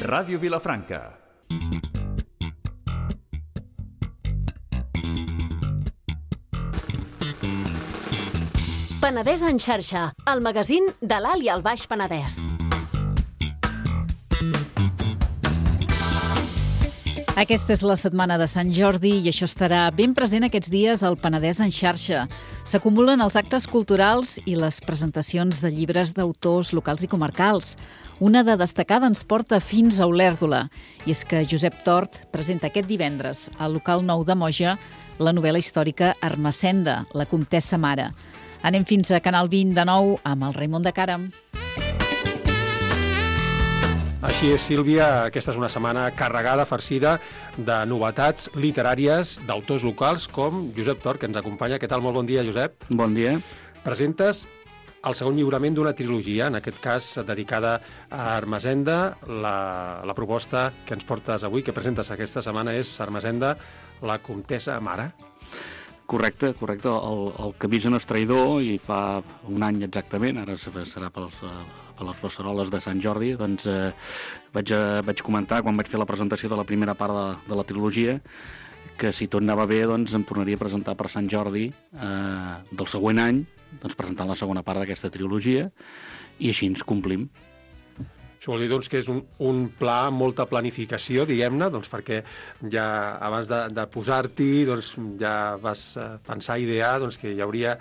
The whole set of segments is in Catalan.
Ràdio Vilafranca. Penedès en xarxa, el magazín de l'Alt i el Baix Penedès. Aquesta és la setmana de Sant Jordi i això estarà ben present aquests dies al Penedès en xarxa. S'acumulen els actes culturals i les presentacions de llibres d'autors locals i comarcals. Una de destacada ens porta fins a Olèrdola. I és que Josep Tort presenta aquest divendres al local nou de Moja la novel·la històrica Ermessenda, la comtessa mare. Anem fins a Canal 20 de nou amb el Raimon de Càrrem. Així és, Sílvia, aquesta és una setmana carregada, farcida de novetats literàries d'autors locals com Josep Tort, que ens acompanya. Què tal? Molt bon dia, Josep. Bon dia. Presentes el segon lliurament d'una trilogia, en aquest cas dedicada a Ermessenda. La proposta que ens portes avui, que presentes aquesta setmana, és Ermessenda, la comtessa mare. Correcte. El camí no és traïdor i fa un any exactament, ara serà per les beceroles de Sant Jordi, doncs vaig comentar quan vaig fer la presentació de la primera part de la trilogia que si tot anava bé doncs em tornaria a presentar per Sant Jordi del següent any, doncs presentant la segona part d'aquesta trilogia i així ens complim. Això vol dir doncs, que és un pla amb molta planificació, diguem-ne, doncs, perquè ja abans de posar-t'hi doncs, ja vas pensar, idear doncs, que hi hauria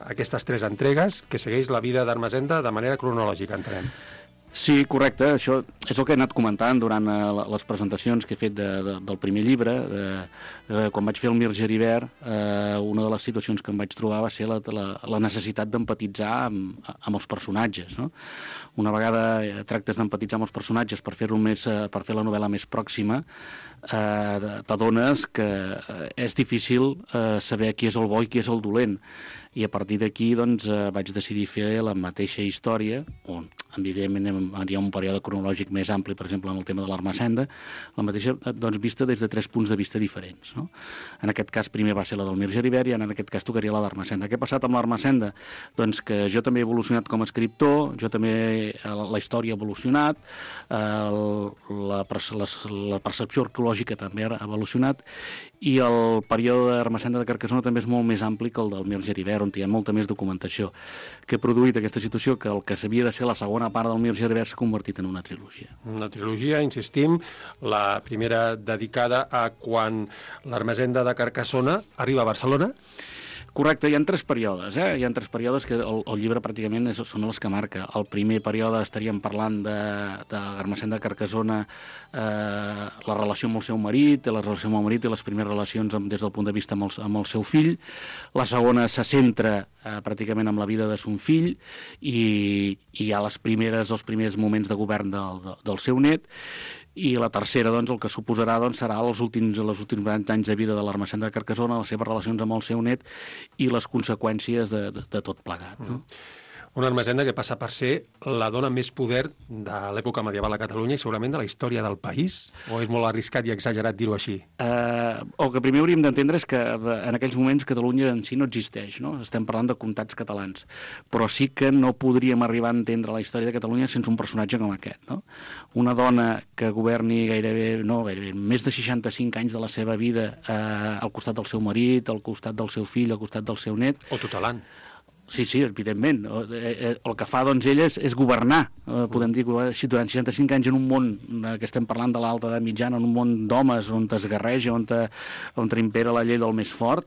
aquestes 3 entregues que segueix la vida d'Ermessenda de manera cronològica, entenem. Sí, correcte. Això és el que he anat comentant durant les presentacions que he fet del primer llibre. Quan vaig fer el Mir Geribert, una de les situacions que em vaig trobar va ser la necessitat d'empatitzar amb els personatges, no? Una vegada tractes d'empatitzar amb els personatges per fer la novel·la més pròxima, t'adones que és difícil saber qui és el bo i qui és el dolent. I a partir d'aquí doncs, vaig decidir fer la mateixa història, on evidentment hi ha un període cronològic més ampli, per exemple, en el tema de l'Ermessenda, la mateixa doncs, vista des de 3 punts de vista diferents, no? En aquest cas primer va ser la del Mir Geribert i en aquest cas tocaria la d'Ermessenda. Què ha passat amb l'Ermessenda? Doncs que jo també he evolucionat com a escriptor, la història ha evolucionat, la percepció arqueològica també ha evolucionat i el període d'Ermessenda de Carcassona també és molt més ampli que el del Mir Geribert, on hi ha molta més documentació, que ha produït aquesta situació que el que s'havia de ser la segona part del Mir Geribert s'ha convertit en una trilogia. Una trilogia, insistim, la primera dedicada a quan l'Ermessenda de Carcassona arriba a Barcelona. Correcte, hi ha 3 períodes, Hi ha 3 períodes que el llibre pràcticament són els que marca. El primer període estaríem parlant de l'Ermessenda de Carcassona, la relació amb el seu marit, i les primeres relacions des del punt de vista amb el seu fill. La segona se centra pràcticament en la vida de son fill i hi ha els primers moments de govern del seu net. I la tercera, doncs, el que suposarà serà els últims anys de vida de l'Ermessenda de Carcassona, les seves relacions amb el seu net i les conseqüències de tot plegat. No? Una Ermessenda que passa per ser la dona més poder de l'època medieval a Catalunya i segurament de la història del país? O és molt arriscat i exagerat dir-ho així? El que primer hauríem d'entendre és que en aquells moments Catalunya en si no existeix, no? Estem parlant de comtats catalans, però sí que no podríem arribar a entendre la història de Catalunya sense un personatge com aquest, no? Una dona que governi gairebé més de 65 anys de la seva vida al costat del seu marit, al costat del seu fill, al costat del seu net. O tutelant. Sí, evidentment. El que fa, doncs, ella és governar. Podem dir que durant 65 anys en un món que estem parlant de l'alta edat mitjana, en un món d'homes on es guerreja, on impera la llei del més fort,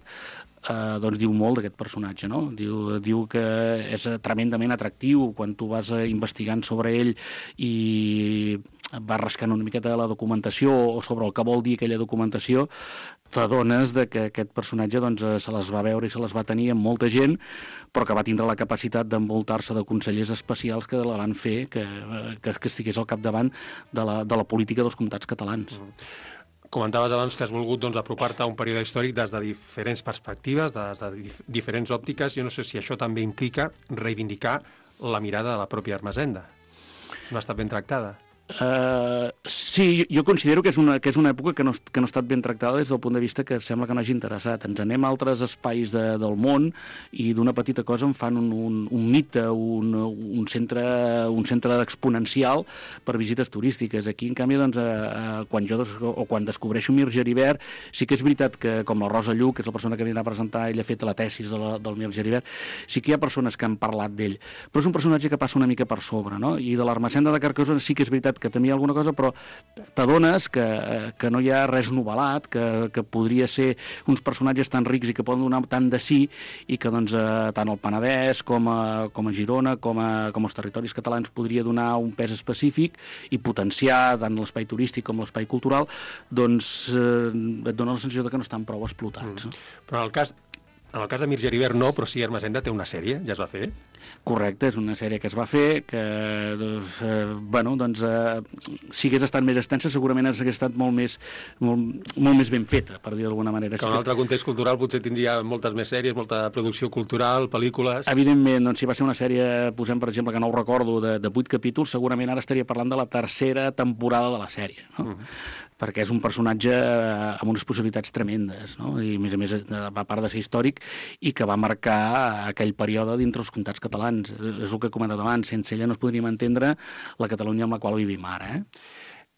doncs diu molt d'aquest personatge, no? Diu que és tremendament atractiu quan tu vas investigant sobre ell i vas rascant una miqueta de la documentació o sobre el que vol dir aquella documentació, t'adones que aquest personatge doncs, se les va veure i se les va tenir amb molta gent, però que va tindre la capacitat d'envoltar-se de consellers especials que la van fer que estigués al capdavant de la política dels comtats catalans. Comentaves abans que has volgut apropar-te a un període històric des de diferents perspectives, des de diferents òptiques. Jo no sé si això també implica reivindicar la mirada de la pròpia Ermessenda. No ha estat ben tractada. Sí, jo considero que és una època que no ha estat ben tractada des del punt de vista que sembla que no hagi interessat. Ens anem a altres espais del món i d'una petita cosa en fan un mite, un centre exponencial per visites turístiques. Aquí, en canvi, doncs, quan descobreixo Mir Geribert, sí que és veritat que, com la Rosa Lluc, que és la persona que vindrà a presentar, ella ha fet la tesis del Mir Geribert, sí que hi ha persones que han parlat d'ell, però és un personatge que passa una mica per sobre, no? I de l'Ermessenda de Carcassona sí que és veritat que també hi ha alguna cosa, però t'adones que no hi ha res novel·lat, que podria ser uns personatges tan rics i que poden donar tant de sí, i que doncs, tant el Penedès com a Girona, com els territoris catalans podria donar un pes específic i potenciar tant l'espai turístic com l'espai cultural, doncs et dona la sensació de que no estan prou explotats. Però en el cas de Mir Geribert no, però sí Ermessenda té una sèrie, ja es va fer? Correcte, és una sèrie que es va fer, que si hagués estat més extensa segurament hagués estat molt més ben feta, per dir d'alguna manera. Que en un altre context cultural potser tindria moltes més sèries, molta producció cultural, pel·lícules... Evidentment, doncs, si va ser una sèrie, posem per exemple, que no ho recordo, de 8 capítols, segurament ara estaria parlant de la tercera temporada de la sèrie, no? Perquè és un personatge amb unes possibilitats tremendes, no? I a més, a part de ser històric, i que va marcar aquell període dintre els comtats catalans. És el que he comentat abans, sense ella no es podríem entendre la Catalunya amb la qual vivim ara.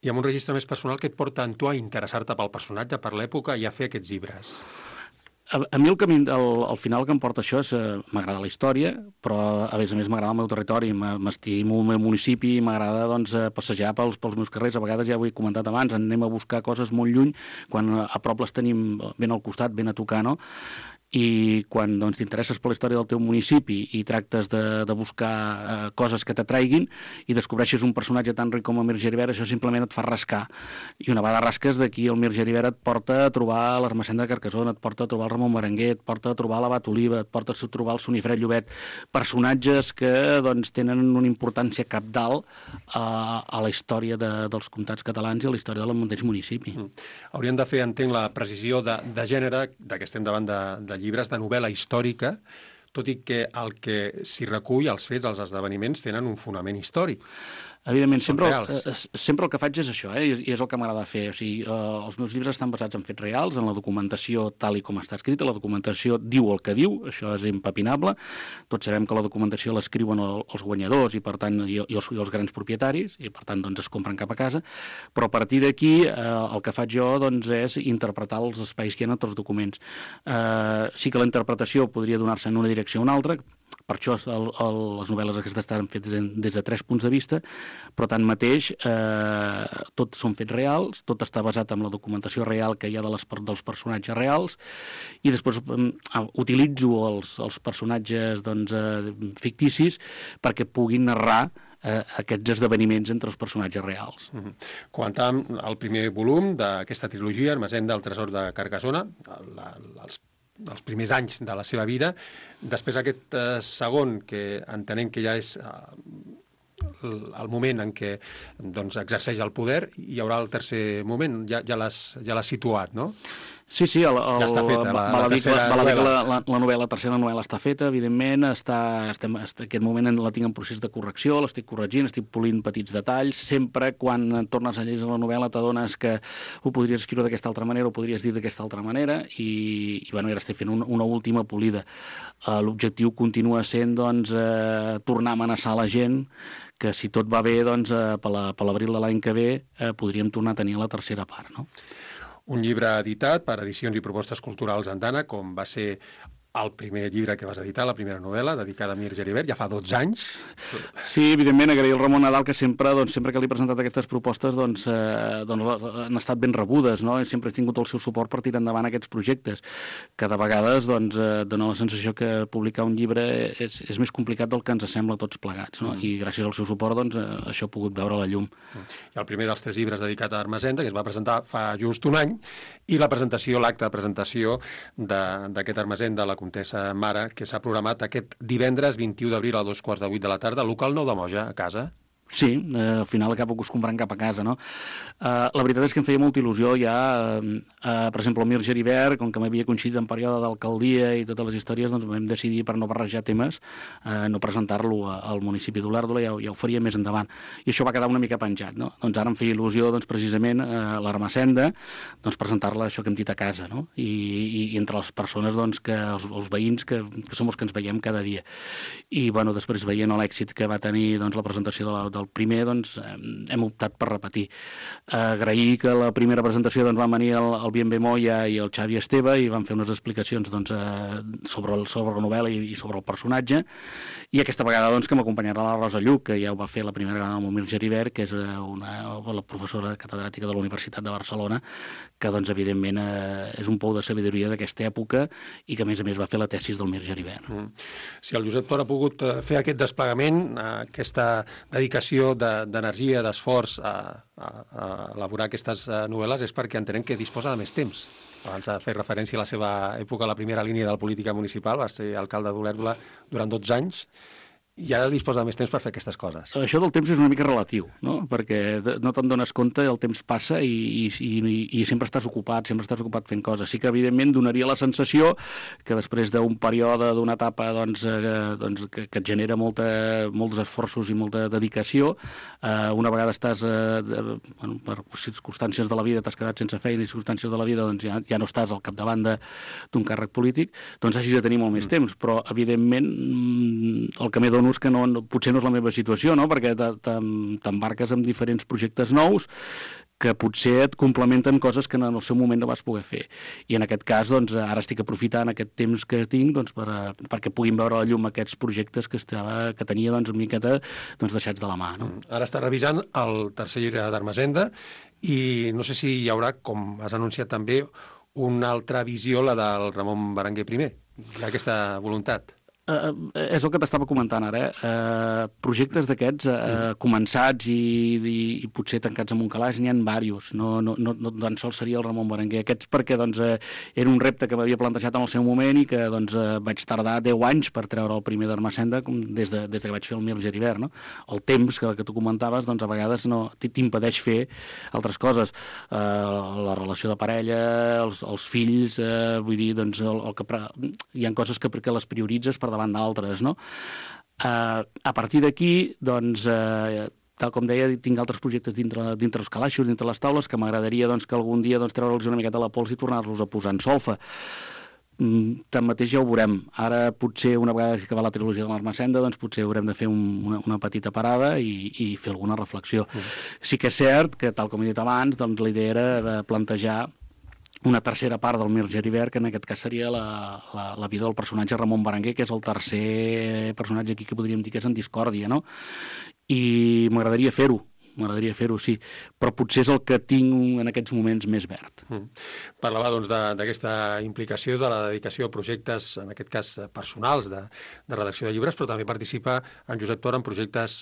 I amb un registre més personal que et porta en tu a interessar-te pel personatge, per l'època, i a fer aquests llibres? A mi el final que em porta això és m'agrada la història, però a més m'agrada el meu territori, m'estimo el meu municipi, m'agrada doncs, passejar pels meus carrers. A vegades, ja ho he comentat abans, anem a buscar coses molt lluny, quan a prop les tenim ben al costat, ben a tocar, no? I quan doncs, t'interesses per la història del teu municipi i tractes de buscar coses que t'atraiguin i descobreixes un personatge tan ric com el Mir Geribert, això simplement et fa rascar. I una vegada rasques, d'aquí el Mir Geribert et porta a trobar l'Ermessenda de Carcassona, et porta a trobar el Ramon Berenguer, et porta a trobar l'Abat Oliva, et porta a trobar el Sonifred Llobet, personatges que doncs, tenen una importància cabdal a la història dels comtats catalans i a la història del mateix municipi. Hauríem de fer, entenc, la precisió de gènere, que estem davant de llibres de novel·la històrica, tot i que el que s'hi recull, els fets, els esdeveniments, tenen un fonament històric. Evidentment, sempre el que faig és això, i és el que m'agrada fer. O sigui, els meus llibres estan basats en fets reals, en la documentació tal i com està escrita. La documentació diu el que diu, això és impepinable. Tots sabem que la documentació l'escriuen els guanyadors i, per tant, i els grans propietaris, i, per tant, doncs, es compren cap a casa. Però a partir d'aquí, el que faig jo doncs, és interpretar els espais que hi ha en els documents. Sí que la interpretació podria donar-se en una direcció o una altra. Per això les novel·les aquestes estan fetes des de 3 punts de vista, però tanmateix tot són fets reals, tot està basat en la documentació real que hi ha dels personatges reals, i després utilitzo els personatges doncs, ficticis perquè puguin narrar aquests esdeveniments entre els personatges reals. Comentàvem el primer volum d'aquesta trilogia, Ermessenda, el tresor de Carcassona, els primers anys de la seva vida. Després aquest segon, que entenem que ja és el moment en què doncs, exerceix el poder, hi haurà el tercer moment, ja l'has situat, no? Sí, ja està feta, la tercera novel·la està feta, evidentment, aquest moment la tinc en procés de correcció, l'estic corregint, estic polint petits detalls, sempre quan tornes a llegir la novel·la t'adones que ho podries escriure d'aquesta altra manera, ho podries dir d'aquesta altra manera, i bueno, ara estic fent una última polida. L'objectiu continua sent, doncs, tornar a amenaçar la gent que si tot va bé, doncs, per l'abril de l'any que ve podríem tornar a tenir la tercera part, no? Un llibre editat per Edicions i Propostes Culturals Andana, com va ser el primer llibre que vas editar, la primera novel·la, dedicada a Mir Geribert, ja fa 12 anys. Sí, evidentment, agrair al Ramon Nadal, que sempre que li he presentat aquestes propostes han estat ben rebudes, no? I sempre he tingut el seu suport per tirar endavant aquests projectes. Cada vegada dona la sensació que publicar un llibre és més complicat del que ens sembla a tots plegats, no? I gràcies al seu suport això ha pogut veure la llum. I el primer dels 3 llibres dedicat a Ermessenda, que es va presentar fa just un any, i l'acte de presentació d'aquest Ermessenda, la Comtessa Mare, que s'ha programat aquest divendres 21 d'abril a 2:15 de la tarda, al local Nou de Moja, a casa. Sí, al final acabo comprant cap a casa, no? La veritat és que em feia molta il·lusió ja, per exemple, el Mir Geribert, com que m'havia coincidit en període d'alcaldia i totes les històries, doncs vam decidir, per no barrejar temes, no presentar-lo al municipi d'Olèrdola, ja ho faria més endavant. I això va quedar una mica penjat, no? Doncs ara em feia il·lusió, doncs, precisament, l'Ermessenda, doncs, presentar-la, això que hem dit, a casa, no? I entre les persones, doncs, els veïns, que som els que ens veiem cada dia. I, bueno, després veient l'èxit que va tenir, doncs, la presentació del primer, doncs, hem optat per repetir. Agrair que la primera presentació, doncs, van venir el Bienve Moya i el Xavi Esteve i van fer unes explicacions, doncs, sobre la novel·la i sobre el personatge, i aquesta vegada, doncs, que m'acompanyarà la Rosa Lluc, que ja ho va fer la primera vegada amb el Mir Geribert, que és la professora catedràtica de la Universitat de Barcelona, que, doncs, evidentment, és un pou de sabidoria d'aquesta època i que, a més, va fer la tesis del Mir Geribert. Si el Josep Tor ha pogut fer aquest desplegament, aquesta dedicació d'energia, d'esforç a elaborar aquestes novel·les, és perquè entenem que disposa de més temps. Abans ha fet referència a la seva època a la primera línia de la política municipal, va ser alcalde d'Olèrdola durant 12 anys, i ara disposa de més temps per fer aquestes coses. Això del temps és una mica relatiu, no? Perquè no te'n dones compte, el temps passa i sempre estàs ocupat fent coses. Sí que, evidentment, donaria la sensació que després d'un període, d'una etapa que et genera molts esforços i molta dedicació, una vegada estàs, per circumstàncies de la vida, t'has quedat sense feina i circumstàncies de la vida, doncs ja no estàs al capdavant d'un càrrec polític, doncs hagis de tenir molt més temps. Però, evidentment, el que m'he donat és que potser no és la meva situació, no? Perquè t'embarques en diferents projectes nous que potser et complementen coses que en el seu moment no vas poder fer. I en aquest cas, doncs, ara estic aprofitant aquest temps que tinc, doncs, perquè puguin veure la llum aquests projectes que tenia, doncs, una miqueta, doncs, deixats de la mà, no? Ara està revisant el tercer llibre d'Ermessenda i no sé si hi haurà, com has anunciat també, una altra visió, la del Ramon Berenguer I. Hi ha aquesta voluntat. És el que t'estava comentant ara. Projectes d'aquests començats i potser tancats en un calaix, n'hi ha diversos. No tan sols seria el Ramon Berenguer. Aquests perquè, doncs, era un repte que m'havia plantejat en el seu moment i que, doncs, vaig tardar 10 anys per treure el primer d'Ermessenda des que vaig fer el Mir Geribert, no? El temps que tu comentaves, doncs, a vegades t'impedeix fer altres coses. La relació de parella, els fills, vull dir, doncs, hi ha coses que les prioritzes per davant d'altres, no? A partir d'aquí, doncs, tal com deia, tinc altres projectes dintre els calaixos, dintre les taules, que m'agradaria, doncs, que algun dia, doncs, treure'ls una miqueta a la pols i tornar-los a posar en solfa. Tanmateix ja ho veurem. Ara, potser, una vegada que va la trilogia de l'Ermessenda, doncs potser haurem de fer una petita parada i fer alguna reflexió. Sí que és cert que, tal com he dit abans, doncs, la idea era plantejar una tercera part del Mir Geribert, que en aquest cas seria la vida del personatge Ramon Berenguer, que és el tercer personatge aquí que podríem dir que és en discòrdia, no? I m'agradaria fer-ho, sí, però potser és el que tinc en aquests moments més verd. Parlava, doncs, d'aquesta implicació, de la dedicació a projectes, en aquest cas personals, de redacció de llibres, però també participa en Josep Tor en projectes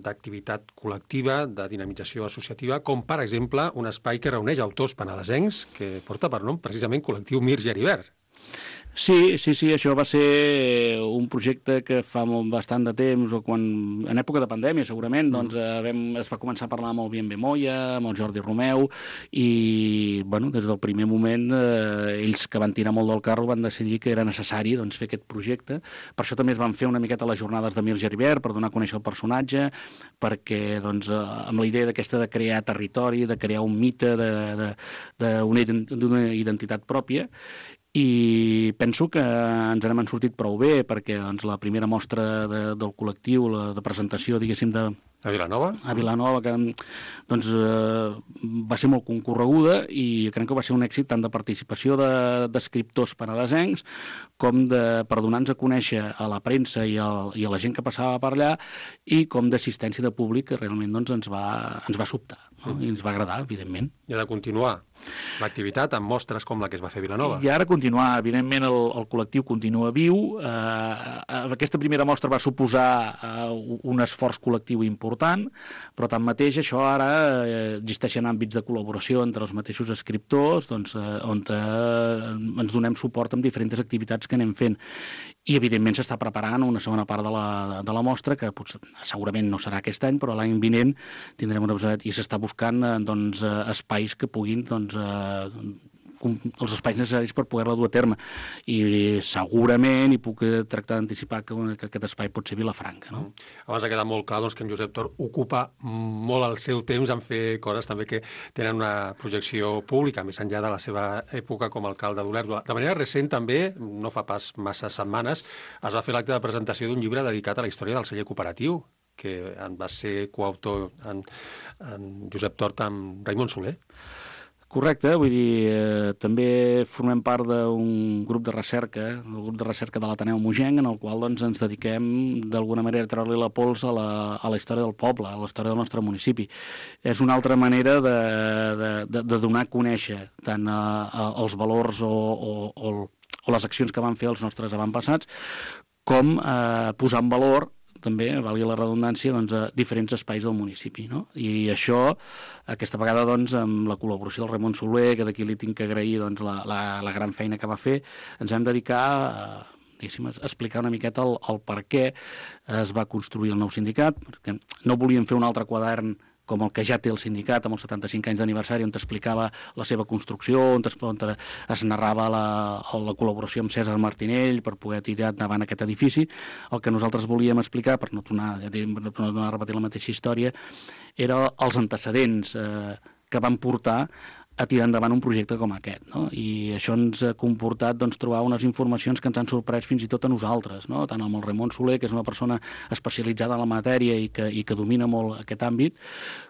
d'activitat col·lectiva, de dinamització associativa, com, per exemple, un espai que reuneix autors penedesencs que porta per nom precisament Col·lectiu Mir Geribert. Sí, això va ser un projecte que fa bastant de temps, o en època de pandèmia, segurament, doncs es va començar a parlar amb el Bienve Moya, amb el Jordi Romeu, i, bueno, des del primer moment, ells que van tirar molt del carro van decidir que era necessari, doncs, fer aquest projecte. Per això també es van fer una miqueta les jornades de Mir Geribert, per donar a conèixer el personatge, perquè, doncs, amb la idea d'aquesta de crear territori, de crear un mite, d'una identitat pròpia, i penso que ens n'hem sortit prou bé, perquè, doncs, la primera mostra del col·lectiu, de presentació, diguéssim, a Vilanova? A Vilanova, que, doncs, va ser molt concorreguda i crec que va ser un èxit tant de participació d'escriptors penedesencs com per donar-nos a conèixer a la premsa i a la gent que passava per allà, i com d'assistència de públic, que realment, doncs, ens va sobtar, no? I ens va agradar, evidentment. I ha de continuar l'activitat amb mostres com la que es va fer a Vilanova. I ara continua continuar. Evidentment, el col·lectiu continua viu. Aquesta primera mostra va suposar un esforç col·lectiu important, però tanmateix això ara existeixen àmbits de col·laboració entre els mateixos escriptors, doncs, on ens donem suport amb diferents activitats que anem fent. I, evidentment, s'està preparant una segona part de la mostra, que segurament no serà aquest any, però l'any vinent tindrem una episodi i s'està buscant doncs, espais que puguin els espais necessaris per poder-la dur a terme. I segurament hi puc tractar d'anticipar que aquest espai pot ser Vilafranca. No? Abans ha quedat molt clar doncs, que en Josep Tor ocupa molt el seu temps en fer coses també que tenen una projecció pública, més enllà de la seva època com a alcalde d'Olèrdola. De manera recent també, no fa pas massa setmanes, es va fer l'acte de presentació d'un llibre dedicat a la història del celler cooperatiu, que en va ser coautor en Josep Tort amb Raimon Soler. Correcte, vull dir, també formem part d'un grup de recerca, el grup de recerca de l'Ateneu Mogenc, en el qual doncs, ens dediquem d'alguna manera a treure-li la pols a la història del poble, a la història del nostre municipi. És una altra manera de donar a conèixer tant els valors o les accions que van fer els nostres avantpassats, com posar en valor també, valgui la redundància, doncs, a diferents espais del municipi. No? I això, aquesta vegada, doncs, amb la col·laboració del Raimon Soler, que d'aquí li tinc que agrair doncs, la gran feina que va fer, ens vam dedicar a explicar una miqueta el per què es va construir el nou sindicat, perquè no volíem fer un altre quadern com el que ja té el sindicat amb els 75 anys d'aniversari, on t'explicava la seva construcció, on es narrava la col·laboració amb Cèsar Martinell per poder tirar endavant aquest edifici. El que nosaltres volíem explicar, per no tornar a repetir la mateixa història, era els antecedents que van portar a tirar endavant un projecte com aquest. No? I això ens ha comportat doncs, trobar unes informacions que ens han sorprès fins i tot a nosaltres, no? Tant amb el Raimon Soler, que és una persona especialitzada en la matèria i que domina molt aquest àmbit,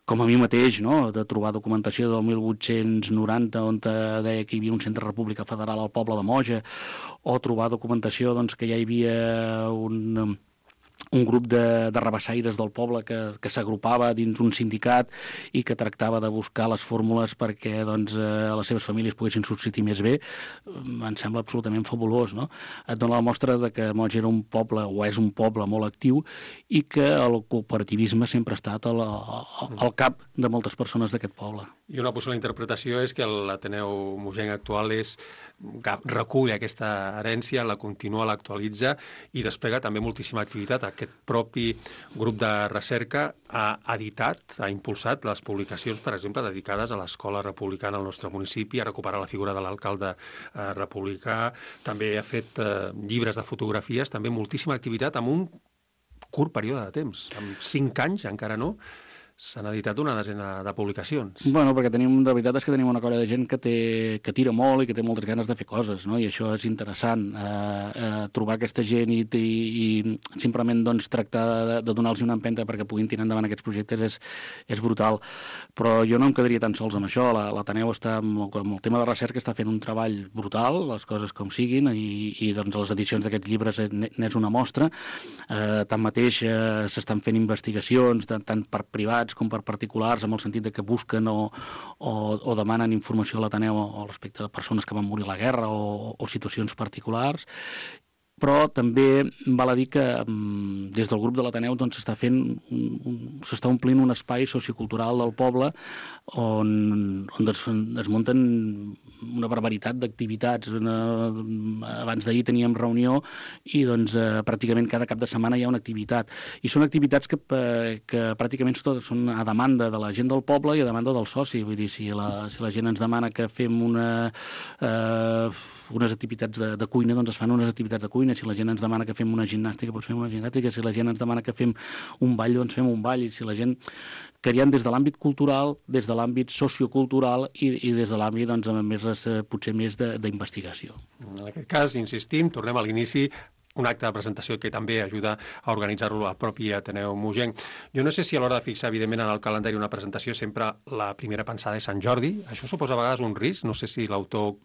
com a mi mateix, no? De trobar documentació del 1890 on deia que hi havia un centre república federal al poble de Moja, o trobar documentació doncs, que ja hi havia un grup de rabassaires del poble que s'agrupava dins un sindicat i que tractava de buscar les fórmules perquè doncs, les seves famílies poguessin subsistir més bé. Em sembla absolutament fabulós, no? Et dona la mostra de que Moja era un poble, o és un poble molt actiu, i que el cooperativisme sempre ha estat al cap de moltes persones d'aquest poble. I una possible interpretació és que l'Ateneu Mogenc actual recull aquesta herència, la continua, l'actualitza i desplega també moltíssima activitat. Aquest propi grup de recerca ha editat, ha impulsat les publicacions, per exemple, dedicades a l'escola republicana al nostre municipi, a recuperar la figura de l'alcalde republicà, també ha fet llibres de fotografies, també moltíssima activitat amb un curt període de temps. Amb 5 anys, encara no, s'han editat una desena de publicacions. Bueno, perquè la veritat és que tenim una colla de gent que tira molt i que té moltes ganes de fer coses, no? I això és interessant. Trobar aquesta gent i simplement doncs, tractar de donar-los una empenta perquè puguin tirar endavant aquests projectes és brutal. Però jo no em quedaria tan sols amb això. L'Ateneu està amb el tema de recerca està fent un treball brutal, les coses com siguin, i doncs les edicions d'aquests llibres n'és una mostra. Tanmateix s'estan fent investigacions tant per privats com per particulars, amb el sentit de que busquen o demanen informació a l'Ateneu respecte de persones que van morir a la guerra o situacions particulars. Però també val a dir que des del grup de l'Ateneu doncs, s'està omplint un espai sociocultural del poble on es munten una barbaritat d'activitats. Abans d'ahir teníem reunió i doncs, pràcticament cada cap de setmana hi ha una activitat. I són activitats que pràcticament són a demanda de la gent del poble i a demanda del soci. Vull dir, si la gent ens demana que fem unes activitats de cuina, doncs es fan unes activitats de cuina. Si la gent ens demana que fem una gimnàstica, doncs fem una gimnàstica. Si la gent ens demana que fem un ball, doncs fem un ball. I si la gent creiem des de l'àmbit cultural, des de l'àmbit sociocultural i des de l'àmbit, doncs, potser més d'investigació. En aquest cas, insistim, tornem a l'inici, un acte de presentació que també ajuda a organitzar-lo al propi Ateneu Mogenc. Jo no sé si a l'hora de fixar, evidentment, en el calendari una presentació sempre la primera pensada és Sant Jordi. Això suposa a vegades un risc. No sé si l'autor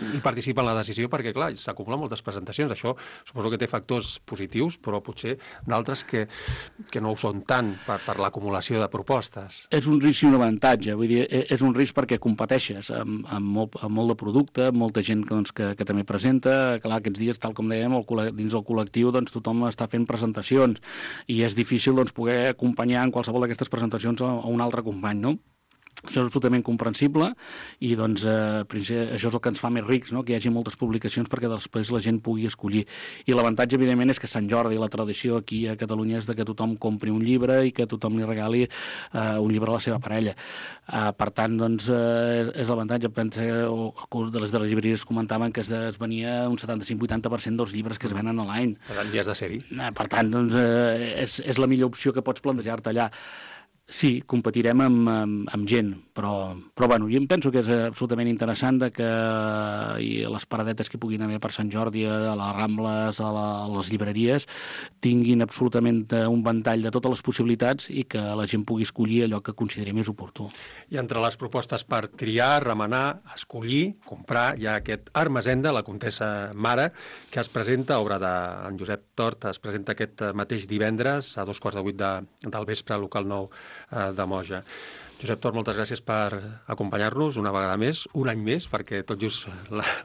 i participa en la decisió perquè, clar, s'acumulen moltes presentacions. Això suposo que té factors positius, però potser d'altres que no ho són tant per l'acumulació de propostes. És un risc i un avantatge. Vull dir, és un risc perquè competeixes amb molt de producte, amb molta gent que també presenta. Clar, aquests dies, tal com dèiem, dins el col·lectiu tothom està fent presentacions i és difícil poder acompanyar en qualsevol d'aquestes presentacions a un altre company, no? Això és absolutament comprensible i això és el que ens fa més rics, no? Que hi hagi moltes publicacions perquè després la gent pugui escollir. I l'avantatge, evidentment, és que Sant Jordi, la tradició aquí a Catalunya és que tothom compri un llibre i que tothom li regali un llibre a la seva parella. Per tant, és l'avantatge. De les llibreries comentaven que es venia un 75-80% dels llibres que es venen a l'any. Per tant, ja has de ser-hi. Per tant, és la millor opció que pots plantejar-te allà. Sí, competirem amb gent, però bueno, jo em penso que és absolutament interessant que les paradetes que puguin haver per Sant Jordi, a les Rambles, a les llibreries, tinguin absolutament un ventall de totes les possibilitats i que la gent pugui escollir allò que consideri més oportú. I entre les propostes per triar, remenar, escollir, comprar, hi ha aquest Armesenda, la Comtessa Mare, que es presenta, obra d'en Josep Tort, es presenta aquest mateix divendres a 7:15 del vespre al local 9 de Moja. Josep Tort, moltes gràcies per acompanyar-nos una vegada més, un any més, perquè tot just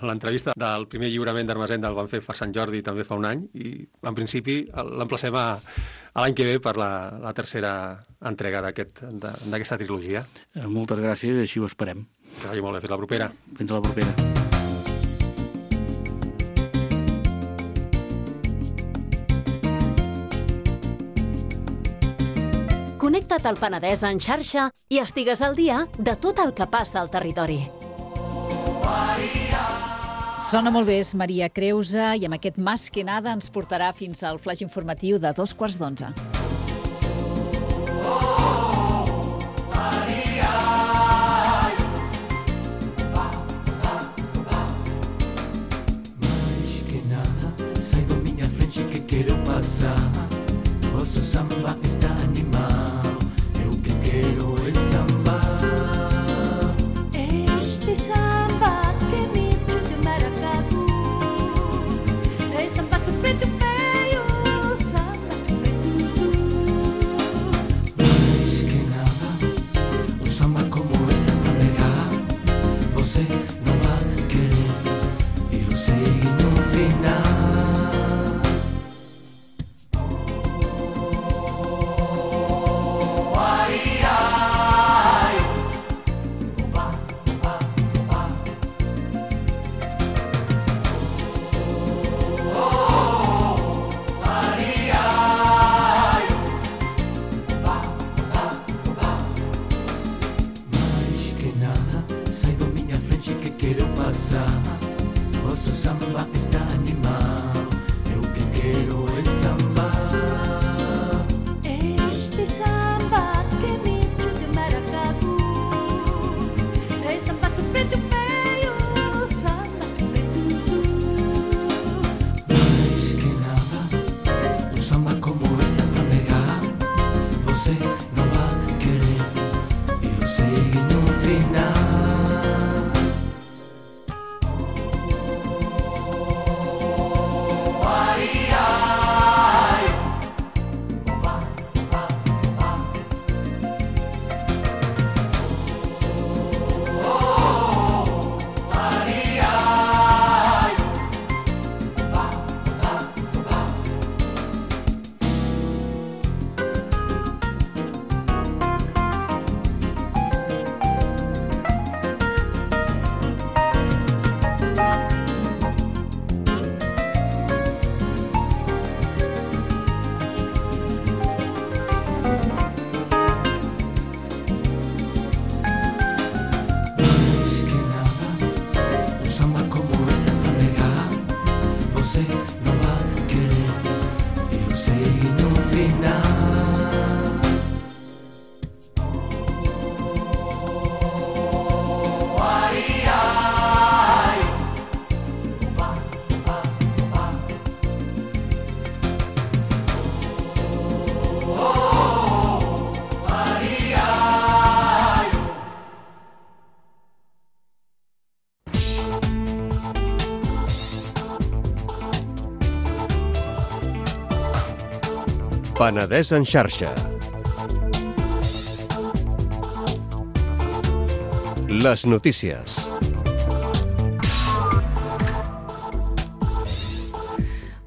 l'entrevista del primer lliurament d'Armesenda el van fer per Sant Jordi també fa un any i en principi l'emplacem a l'any que ve per la tercera entrega d'aquesta trilogia. Moltes gràcies, així ho esperem. Que vagi molt bé, fins la propera. Fins a la propera. Connecta't al Penedès en xarxa i estigues al dia de tot el que passa al territori. Sona molt bé, és Maria Creusa, i amb aquest Más que nada ens portarà fins al flaix informatiu de 11:15. Mais que nada, sai do minha frente que quero passar. Vosso samba está animado, eu que quero é samba. Este samba que me de maracatu, é samba que preto feio, samba que preto. Mais que nada, um samba como este está legal. Você não vai querer, e eu sei no final. Vosso samba está animado, eu que quero é samba. Este samba que me de maracatu, é samba que preto feio, samba que preto. Mais que nada, um samba como este está legal. Você não vai querer, e eu sei no final. Penedès en xarxa. Les notícies.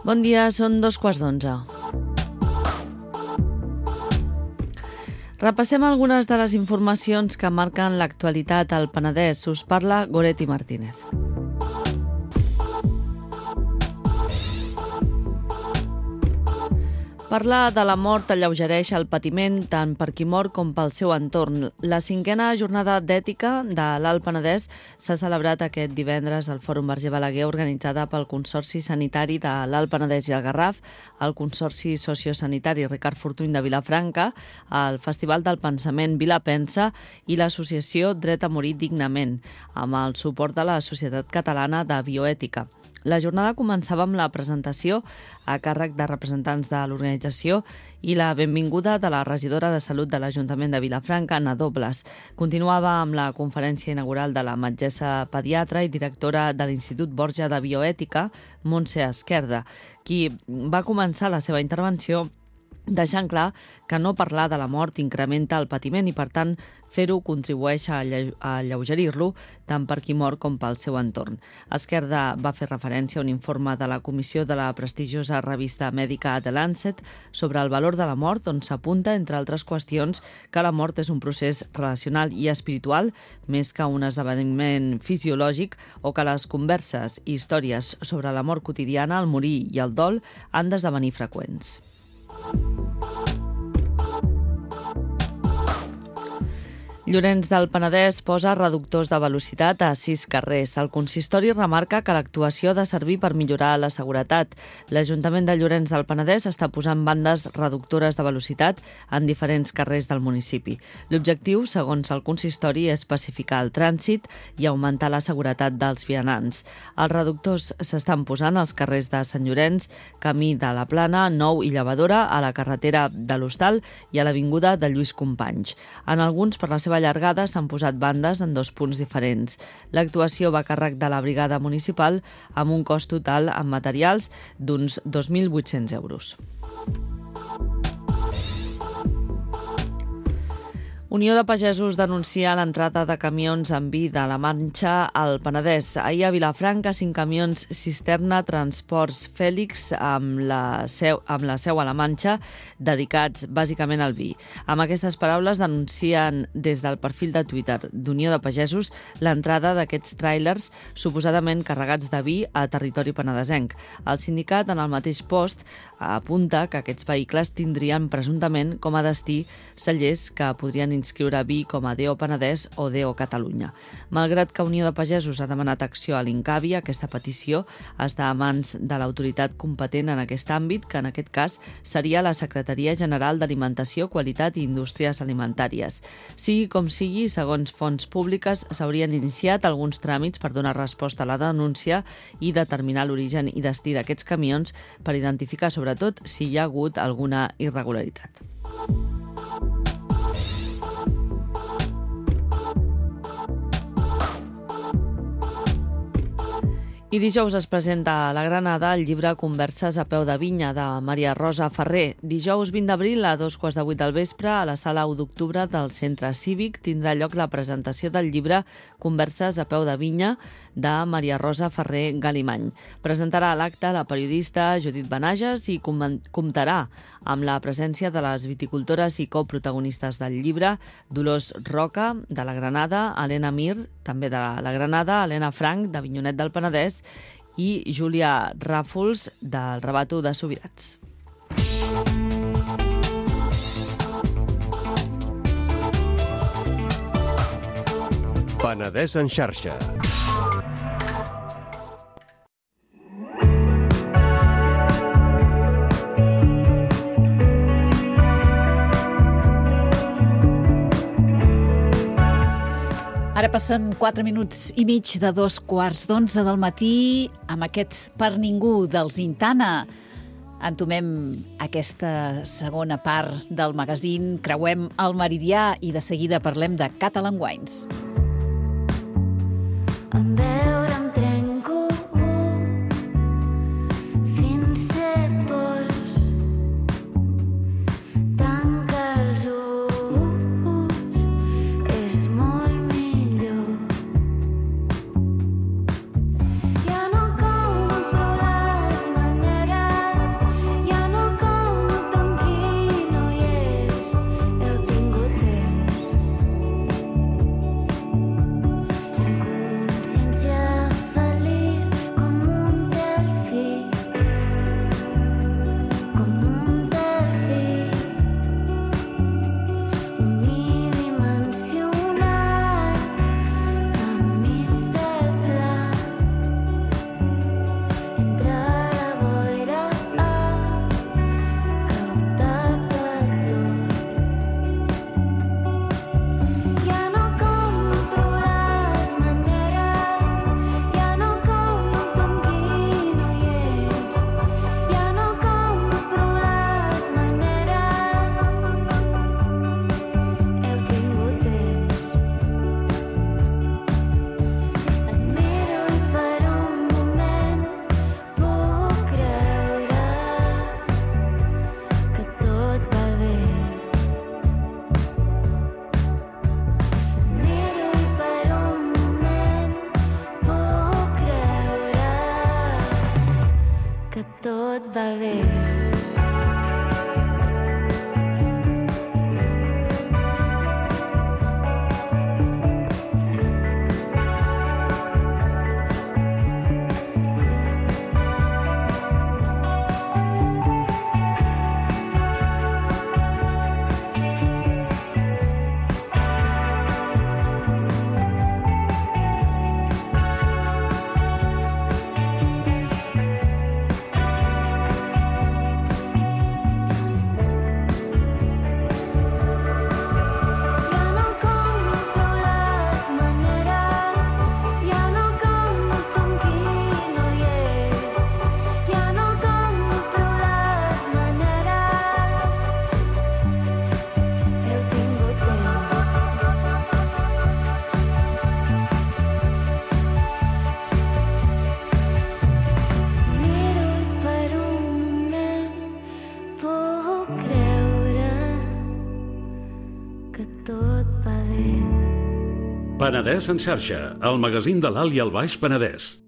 Bon dia, són 2:15. Repassem algunes de les informacions que marquen l'actualitat al Penedès. Us parla Goretti Martínez. Parlar de la mort alleugereix el patiment tant per qui mor com pel seu entorn. La 5a jornada d'ètica de l'Alt Penedès s'ha celebrat aquest divendres al Fòrum Verger Balaguer, organitzada pel Consorci Sanitari de l'Alt Penedès i el Garraf, el Consorci Sociosanitari Ricard Fortuny de Vilafranca, el Festival del Pensament Vilapensa i l'Associació Dret a Morir Dignament, amb el suport de la Societat Catalana de Bioètica. La jornada començava amb la presentació a càrrec de representants de l'organització i la benvinguda de la regidora de Salut de l'Ajuntament de Vilafranca, Ana Dobles. Continuava amb la conferència inaugural de la metgessa pediatra i directora de l'Institut Borja de Bioètica, Montse Esquerda, qui va començar la seva intervenció deixant clar que no parlar de la mort incrementa el patiment i, per tant, fer-ho contribueix a alleugerir-lo tant per qui mor com pel seu entorn. Esquerda va fer referència a un informe de la comissió de la prestigiosa revista mèdica The Lancet sobre el valor de la mort, on s'apunta, entre altres qüestions, que la mort és un procés relacional i espiritual més que un esdeveniment fisiològic, o que les converses i històries sobre la mort quotidiana, el morir i el dol han d'esdevenir freqüents. Llorenç del Penedès posa reductors de velocitat a 6 carrers. El consistori remarca que l'actuació ha de servir per millorar la seguretat. L'Ajuntament de Llorenç del Penedès està posant bandes reductores de velocitat en diferents carrers del municipi. L'objectiu, segons el consistori, és pacificar el trànsit i augmentar la seguretat dels vianants. Els reductors s'estan posant als carrers de Sant Llorenç, Camí de la Plana, Nou i Llevadora, a la carretera de l'Hostal i a l'avinguda de Lluís Companys. En alguns, per la seva llargada, s'han posat bandes en 2 punts diferents. L'actuació va a càrrec de la brigada municipal amb un cost total en materials d'uns 2.800 euros. Unió de Pagesos denuncia l'entrada de camions amb vi de la Manxa al Penedès. Ahir a Vilafranca, 5 camions cisterna Transports Fèlix amb la seu a la Manxa, dedicats bàsicament al vi. Amb aquestes paraules denuncien des del perfil de Twitter d'Unió de Pagesos l'entrada d'aquests tràilers suposadament carregats de vi a territori penedesenc. El sindicat, en el mateix post, apunta que aquests vehicles tindrien presumptament com a destí cellers que podrien inscriure vi com a DO Penedès o DO Catalunya. Malgrat que Unió de Pagesos ha demanat acció a l'Incavi, aquesta petició està a mans de l'autoritat competent en aquest àmbit, que en aquest cas seria la Secretaria General d'Alimentació, Qualitat i Indústries Alimentàries. Sigui com sigui, segons fonts públiques, s'haurien iniciat alguns tràmits per donar resposta a la denúncia i determinar l'origen i destí d'aquests camions per identificar sobretot si hi ha hagut alguna irregularitat. I dijous es presenta a la Granada el llibre Converses a peu de vinya de Maria Rosa Ferrer. Dijous 20 d'abril a 2:15 del vespre a la sala 1 d'octubre del Centre Cívic tindrà lloc la presentació del llibre Converses a peu de vinya de Maria Rosa Ferrer Galimany. Presentarà l'acte la periodista Judit Benages i comptarà amb la presència de les viticultores i coprotagonistes del llibre, Dolors Roca, de la Granada, Helena Mir, també de la Granada, Helena Frank, de Vinyonet del Penedès, i Júlia Ràfols, del Rabato de Subirats. Penedès en xarxa. Ara passen 4 minuts i mig de 2:15 del matí amb aquest Per ningú dels Intana. Entomem aquesta segona part del magazín, creuem el meridià i de seguida parlem de Catalan Wines. Em veure em trenco fins ser pols tot va bé. Penedès en xarxa, el magazín de l'Alt i el Baix Penedès.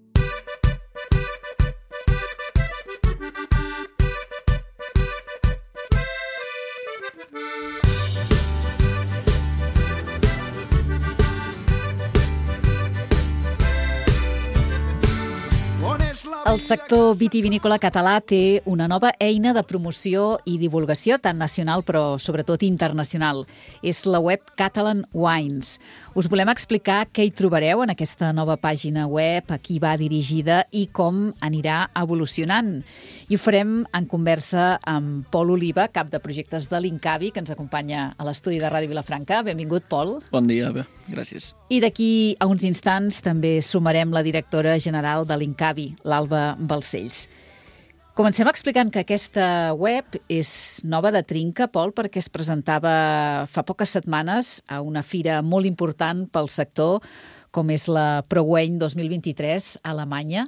El sector vitivinícola català té una nova eina de promoció i divulgació, tant nacional però sobretot internacional. És la web Catalan Wines. Us volem explicar què hi trobareu en aquesta nova pàgina web, a qui va dirigida i com anirà evolucionant. I ho farem en conversa amb Pol Oliva, cap de projectes de l'Incavi, que ens acompanya a l'estudi de Ràdio Vilafranca. Benvingut, Pol. Bon dia, bé, gràcies. I d'aquí a uns instants també sumarem la directora general de l'Incavi, l'Alba Balcells. Comencem explicant que aquesta web és nova de trinca, Pol, perquè es presentava fa poques setmanes a una fira molt important pel sector, com és la ProWein 2023 a Alemanya.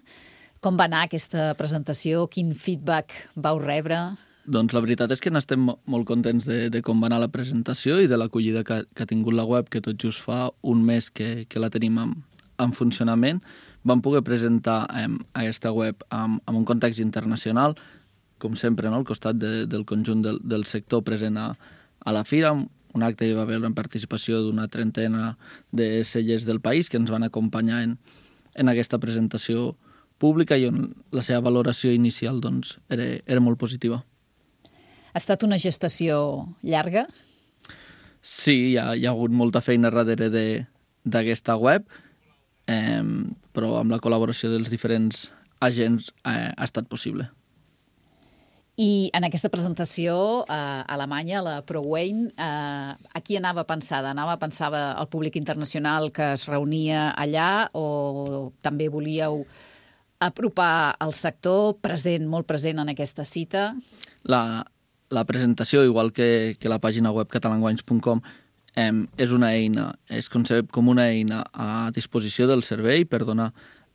Com va anar aquesta presentació? Quin feedback vau rebre? Doncs la veritat és que n'estem molt contents de com va anar la presentació i de l'acollida que ha tingut la web, que tot just fa un mes que la tenim en funcionament. Vam poder presentar aquesta web amb un context internacional, com sempre, no? Al costat del conjunt del sector present a la fira. Un acte hi va haver una participació d'una 30 de cellers del país que ens van acompanyar en aquesta presentació pública i on la seva valoració inicial doncs, era molt positiva. Ha estat una gestació llarga? Sí, hi ha hagut molta feina darrere d'aquesta web, però amb la col·laboració dels diferents agents ha estat possible. I en aquesta presentació a Alemanya, la ProWein, a qui anava pensada? Anava pensada al públic internacional que es reunia allà o també volíeu apropar el sector present, molt present en aquesta cita? La presentació, igual que la pàgina web catalanwines.com, és una eina, es concep com una eina a disposició del servei per donar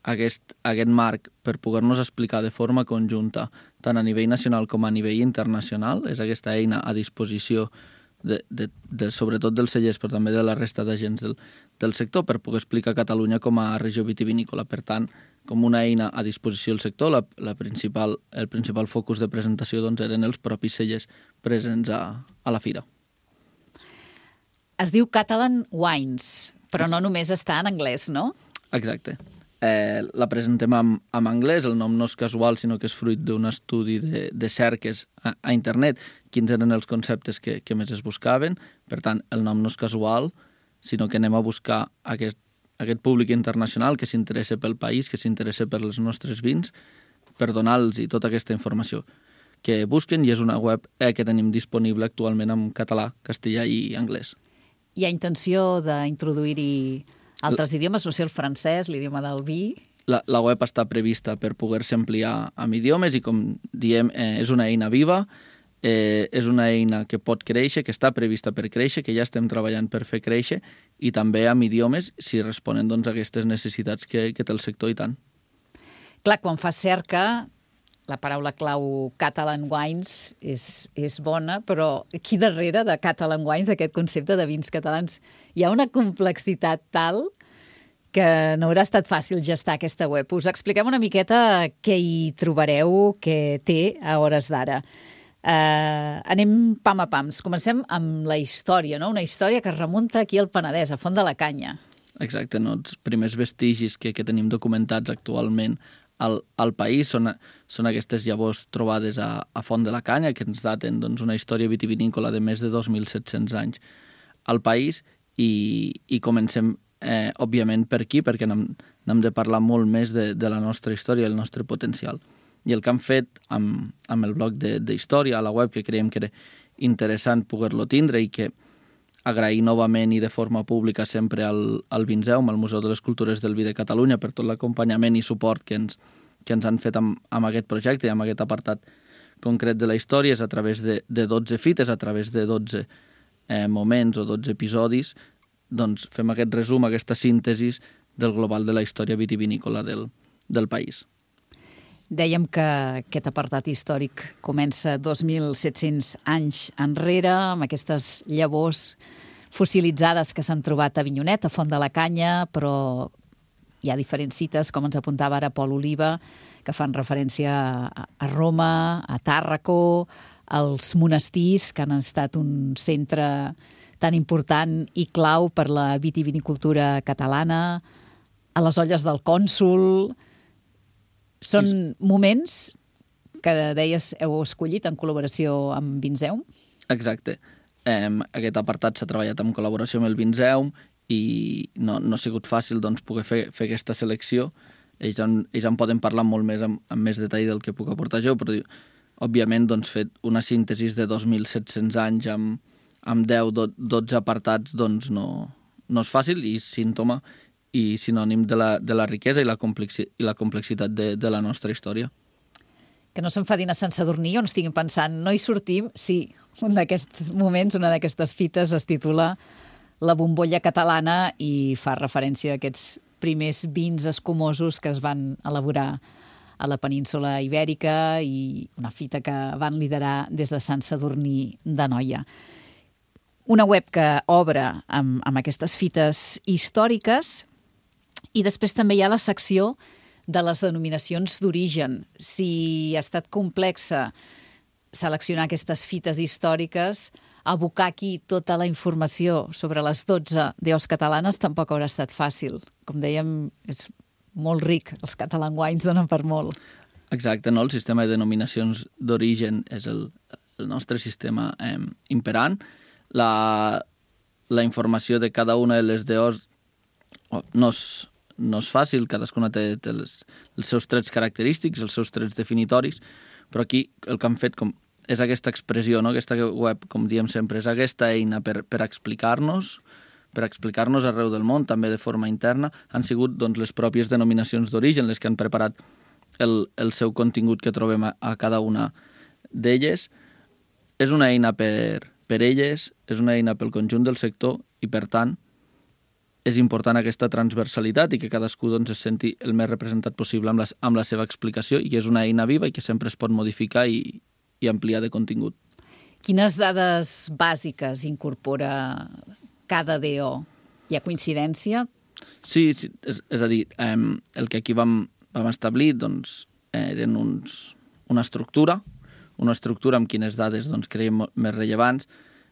aquest marc per poder-nos explicar de forma conjunta, tant a nivell nacional com a nivell internacional. És aquesta eina a disposició sobretot dels cellers, però també de la resta d'agents del sector, per poder explicar Catalunya com a regió vitivinícola. Per tant, com una eina a disposició del sector, el principal focus de presentació doncs, eren els propis cellers presents a la fira. Es diu Catalan Wines, però no només està en anglès, no? Exacte. La presentem en anglès, el nom no és casual, sinó que és fruit d'un estudi de cerques a internet, quins eren els conceptes que més es buscaven. Per tant, el nom no és casual, sinó que anem a buscar aquest públic internacional que s'interessa pel país, que s'interessa per els nostres vins, per donar-los tota aquesta informació que busquen, i és una web que tenim disponible actualment en català, castellà i anglès. Hi ha intenció d'introduir-hi altres idiomes, no sé, el francès, l'idioma del vi? La web està prevista per poder-se ampliar amb idiomes i, com diem, és una eina viva, és una eina que pot créixer, que està prevista per créixer, que ja estem treballant per fer créixer, i també amb idiomes si responen doncs, a aquestes necessitats que té el sector i tant. Clar, quan fas cerca, la paraula clau Catalan Wines és bona, però aquí darrere de Catalan Wines, aquest concepte de vins catalans, hi ha una complexitat tal que no haurà estat fàcil gestar aquesta web. Us expliquem una miqueta què hi trobareu, què té a hores d'ara. Anem pam a pams. Comencem amb la història, no? Una història que es remunta aquí al Penedès, a Font de la Canya. Exacte, no? Els primers vestigis que tenim documentats actualment al país són aquestes llavors trobades a Font de la Canya, que ens daten doncs, una història vitivinícola de més de 2.700 anys al país, i comencem, òbviament, per aquí, perquè n'hem de parlar molt més de la nostra història, el nostre potencial. I el que hem fet amb el bloc d'història a la web, que creiem que era interessant poder-lo tindre, i que agrair novament i de forma pública sempre al Vinzeum, al Museu de les Cultures del Vi de Catalunya, per tot l'acompanyament i suport que ens han fet amb aquest projecte i amb aquest apartat concret de la història, és a través de 12 fites, a través de 12 moments o 12 episodis, doncs fem aquest resum, aquesta síntesi del global de la història vitivinícola del país. Dèiem que aquest apartat històric comença 2.700 anys enrere, amb aquestes llavors fossilitzades que s'han trobat a Avinyonet, a Font de la Canya, però hi ha diferents cites, com ens apuntava ara Pol Oliva, que fan referència a Roma, a Tàrraco, als monestirs, que han estat un centre tan important i clau per la vitivinicultura catalana, a les olles del cònsol. Són moments que, deies, heu escollit en col·laboració amb Vinzeum? Exacte. Aquest apartat s'ha treballat en col·laboració amb el Vinzeum i no ha sigut fàcil doncs, poder fer aquesta selecció. Ells en poden parlar molt més amb més detall del que puc aportar jo, però òbviament doncs, fet una síntesi de 2.700 anys amb 10-12 apartats doncs, no és fàcil, i símptoma i sinònim de la riquesa i la complexitat de la nostra història. Que no s'enfadin a Sant Sadurní on estiguin pensant, no hi sortim? Sí, un d'aquests moments, una d'aquestes fites es titula La bombolla catalana i fa referència a aquests primers vins escumosos que es van elaborar a la península Ibèrica i una fita que van liderar des de Sant Sadurní d'Anoia. Una web que obre amb aquestes fites històriques, i després també hi ha la secció de les denominacions d'origen. Si ha estat complexa seleccionar aquestes fites històriques, abocar aquí tota la informació sobre les 12 deus catalanes tampoc haurà estat fàcil. Com dèiem, és molt ric. Els Catalan Wines donen per molt. Exacte, no? El sistema de denominacions d'origen és el nostre sistema imperant. La informació de cada una de les deus no és fàcil, cadascuna té els seus trets característics, els seus trets definitoris, però aquí el que han fet és aquesta expressió, no? Aquesta web, com diem sempre, és aquesta eina per explicar-nos arreu del món, també de forma interna. Han sigut doncs, les pròpies denominacions d'origen les que han preparat el seu contingut que trobem a cada una d'elles. És una eina per elles, és una eina pel conjunt del sector i, per tant, és important aquesta transversalitat i que cadascú doncs, es senti el més representat possible amb la seva explicació, i és una eina viva i que sempre es pot modificar i ampliar de contingut. Quines dades bàsiques incorpora cada DO? Hi ha coincidència? Sí, és a dir, el que aquí vam establir doncs, eren una estructura amb quines dades doncs, creiem més rellevants.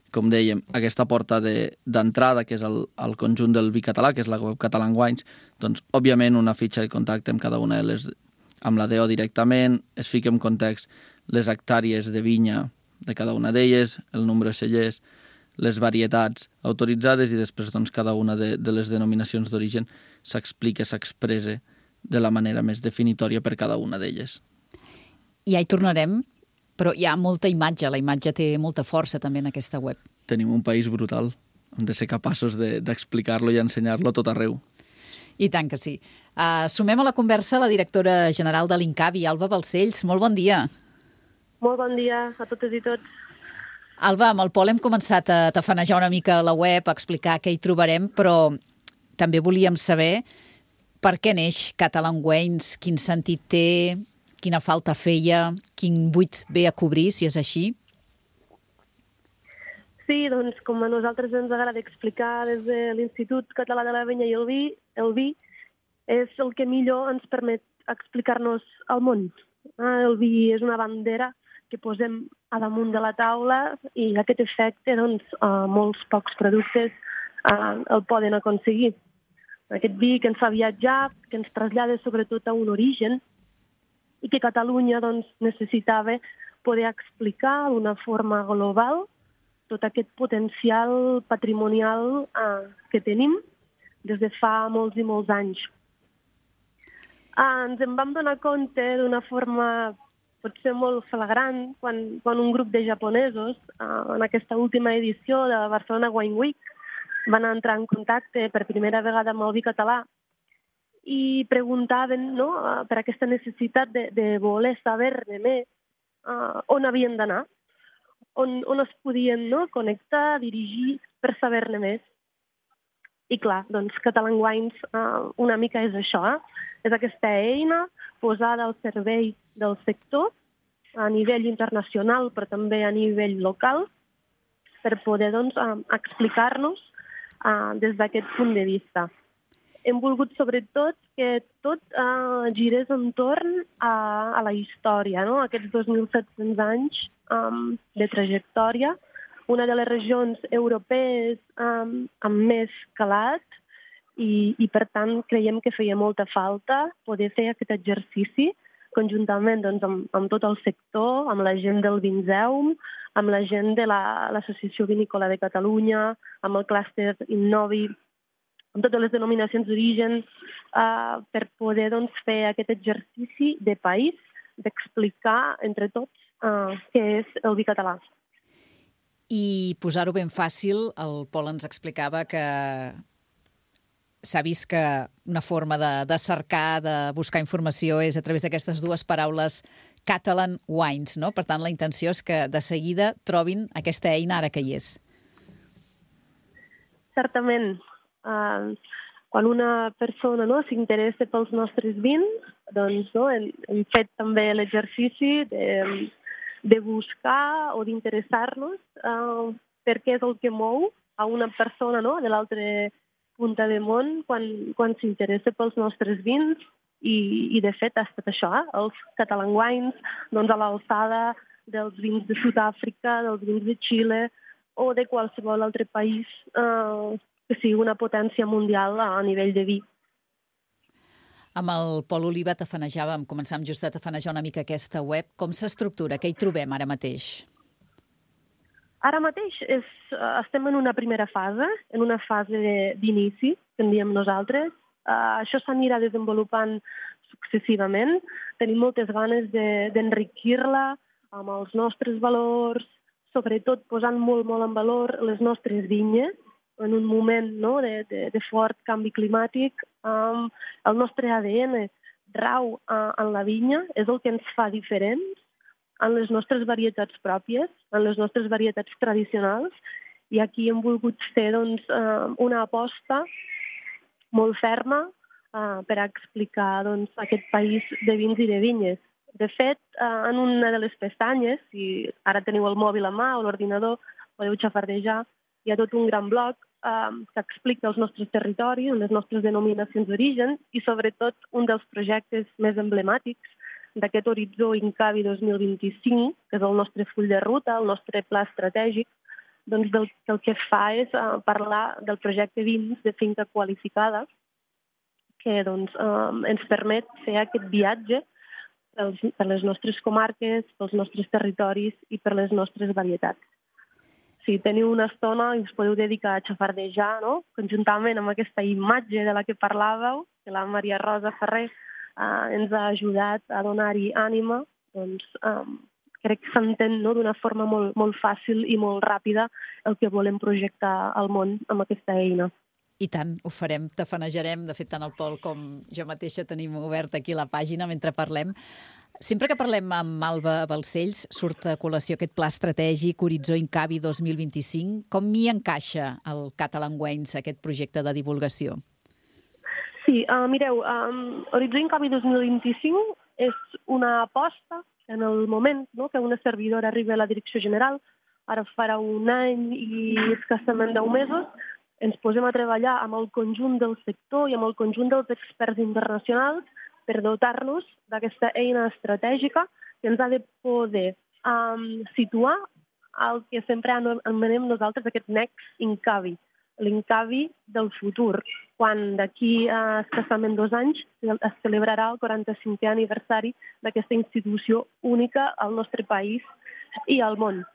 Com dèiem, aquesta porta d'entrada, que és el conjunt del vi català, que és la web Catalan Wines, doncs, òbviament, una fitxa de contacte amb cada una de les, amb la DO directament, es fica en context les hectàrees de vinya de cada una d'elles, el nombre de cellers, les varietats autoritzades, i després doncs, cada una de les denominacions d'origen s'explica, s'expressa de la manera més definitòria per cada una d'elles. Ja hi tornarem, però hi ha molta imatge, la imatge té molta força també en aquesta web. Tenim un país brutal, hem de ser capaços d'explicar-lo i ensenyar-lo a tot arreu. I tant que sí. Sumem a la conversa la directora general de l'INCAVI, Alba Balcells. Molt bon dia. Molt bon dia a totes i tots. Alba, amb el Pol hem començat a tafanejar una mica la web, a explicar què hi trobarem, però també volíem saber per què neix Catalan Wines, quin sentit té, quina falta feia, quin buit ve a cobrir, si és així. Sí, doncs com a nosaltres ens agrada explicar des de l'Institut Català de la Vinya i el Vi, és el que millor ens permet explicar-nos al món. El vi és una bandera que posem a damunt de la taula i aquest efecte, doncs, molts pocs productes el poden aconseguir. Aquest vi que ens fa viatjar, que ens trasllada sobretot a un origen i que Catalunya doncs, necessitava poder explicar d'una forma global tot aquest potencial patrimonial que tenim des de fa molts i molts anys. Ens en vam donar compte d'una forma potser molt flagrant quan un grup de japonesos en aquesta última edició de Barcelona Wine Week van entrar en contacte per primera vegada amb el vi català i preguntaven per aquesta necessitat de voler saber-ne més on havien d'anar, on es podien connectar, dirigir per saber-ne més. I clar, doncs Catalan Wines una mica és això, és aquesta eina posada al servei del sector a nivell internacional, però també a nivell local, per poder explicar-nos des d'aquest punt de vista. Hem volgut, sobretot, que tot girés entorn a la història, aquests 2.700 anys de trajectòria, una de les regions europees amb més calat i, per tant, creiem que feia molta falta poder fer aquest exercici conjuntament amb tot el sector, amb la gent del Vinzeum, amb la gent de l'Associació Vinícola de Catalunya, amb el clúster Innovi, amb totes les denominacions d'origen, per poder fer aquest exercici de país, d'explicar entre tots què és el vi català. I posar-ho ben fàcil, el Pol ens explicava que s'ha vist que una forma de cercar, de buscar informació és a través d'aquestes dues paraules Catalan Wines, no? Per tant, la intenció és que de seguida trobin aquesta eina ara que hi és. Certament. Quan una persona s'interessa pels nostres vins, doncs hem fet també l'exercici de buscar o d'interessar-nos per què és el que mou a una persona de l'altra punta del món quan s'interessa pels nostres vins i de fet ha estat això, els Catalan Wines a l'alçada dels vins de Sud-àfrica, dels vins de Xile o de qualsevol altre país que sigui una potència mundial a nivell de vi. Amb el Pol Oliva començàvem just a tafanejar una mica aquesta web. Com s'estructura? Què hi trobem ara mateix? Ara mateix estem en una primera fase, en una fase d'inici, que en diem nosaltres. Això s'anirà desenvolupant successivament. Tenim moltes ganes d'enriquir-la amb els nostres valors, sobretot posant molt en valor les nostres vinyes, en un moment de fort canvi climàtic. El nostre ADN rau en la vinya, és el que ens fa diferents en les nostres varietats pròpies, en les nostres varietats tradicionals, i aquí hem volgut fer una aposta molt ferma per explicar aquest país de vins i de vinyes. De fet, en una de les pestanyes, si ara teniu el mòbil a mà o l'ordinador, podeu xafardejar, hi ha tot un gran bloc que explica els nostres territoris, les nostres denominacions d'origen i, sobretot, un dels projectes més emblemàtics d'aquest horitzó Incavi 2025, que és el nostre full de ruta, el nostre pla estratègic, doncs el que fa és parlar del projecte Vins de finca qualificada, que ens permet fer aquest viatge per les nostres comarques, pels nostres territoris i per les nostres varietats. Si teniu una estona i us podeu dedicar a xafardejar, conjuntament amb aquesta imatge de la que parlàveu, que la Maria Rosa Ferrer ens ha ajudat a donar-hi ànima, doncs crec que s'entén d'una forma molt fàcil i molt ràpida el que volem projectar al món amb aquesta eina. I tant, ho farem, tafanejarem. De fet, tant el Pol com jo mateixa tenim obert aquí la pàgina mentre parlem. Sempre que parlem amb Alba Balcells, surt a col·lació aquest pla estratègic Horitzó Incavi 2025. Com m'hi encaixa el Catalan Wines, aquest projecte de divulgació? Sí, mireu, Horitzó Incavi 2025 és una aposta en el moment que una servidora arriba a la direcció general, ara farà un any i escassament 10 mesos, ens posem a treballar amb el conjunt del sector i amb el conjunt dels experts internacionals per dotar-nos d'aquesta eina estratègica que ens ha de poder situar el que sempre anomenem nosaltres aquest next Incavi, l'Incavi del futur, quan d'aquí escassament 2 anys es celebrarà el 45è aniversari d'aquesta institució única al nostre país i al món.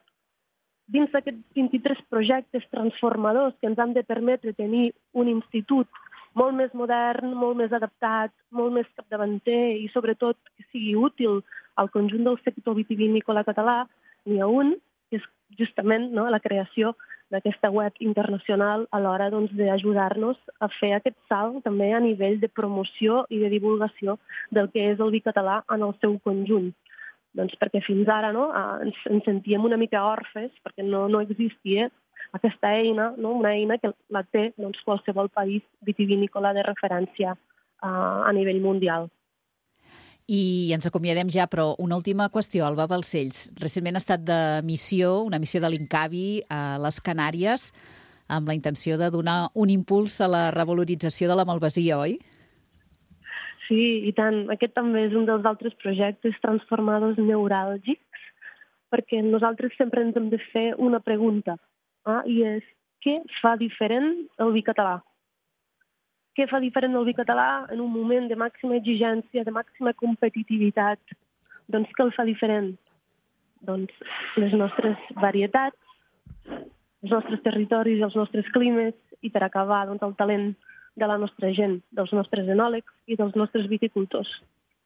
Dins d'aquests 23 projectes transformadors que ens han de permetre tenir un institut molt més modern, molt més adaptat, molt més capdavanter i sobretot que sigui útil al conjunt del sector vitivinícola català, n'hi ha un, que és justament la creació d'aquesta web internacional a l'hora d'ajudar-nos a fer aquest salt també a nivell de promoció i de divulgació del que és el vi català en el seu conjunt. Doncs perquè fins ara ens sentíem una mica orfes, perquè no existia aquesta eina, una eina que la té qualsevol país vitivinícola de referència a nivell mundial. I ens acomiadem ja, però una última qüestió, Alba Balcells. Recentment ha estat de missió, una missió de l'Incavi a les Canàries, amb la intenció de donar un impuls a la revalorització de la malvasia, oi? Sí, i tant. Aquest també és un dels altres projectes transformadors neuràlgics, perquè nosaltres sempre ens hem de fer una pregunta, i és què fa diferent el vi català? Què fa diferent el vi català en un moment de màxima exigència, de màxima competitivitat? Doncs què el fa diferent? Doncs les nostres varietats, els nostres territoris, els nostres climes i per acabar el talent de la nostra gent, dels nostres enòlegs i dels nostres viticultors.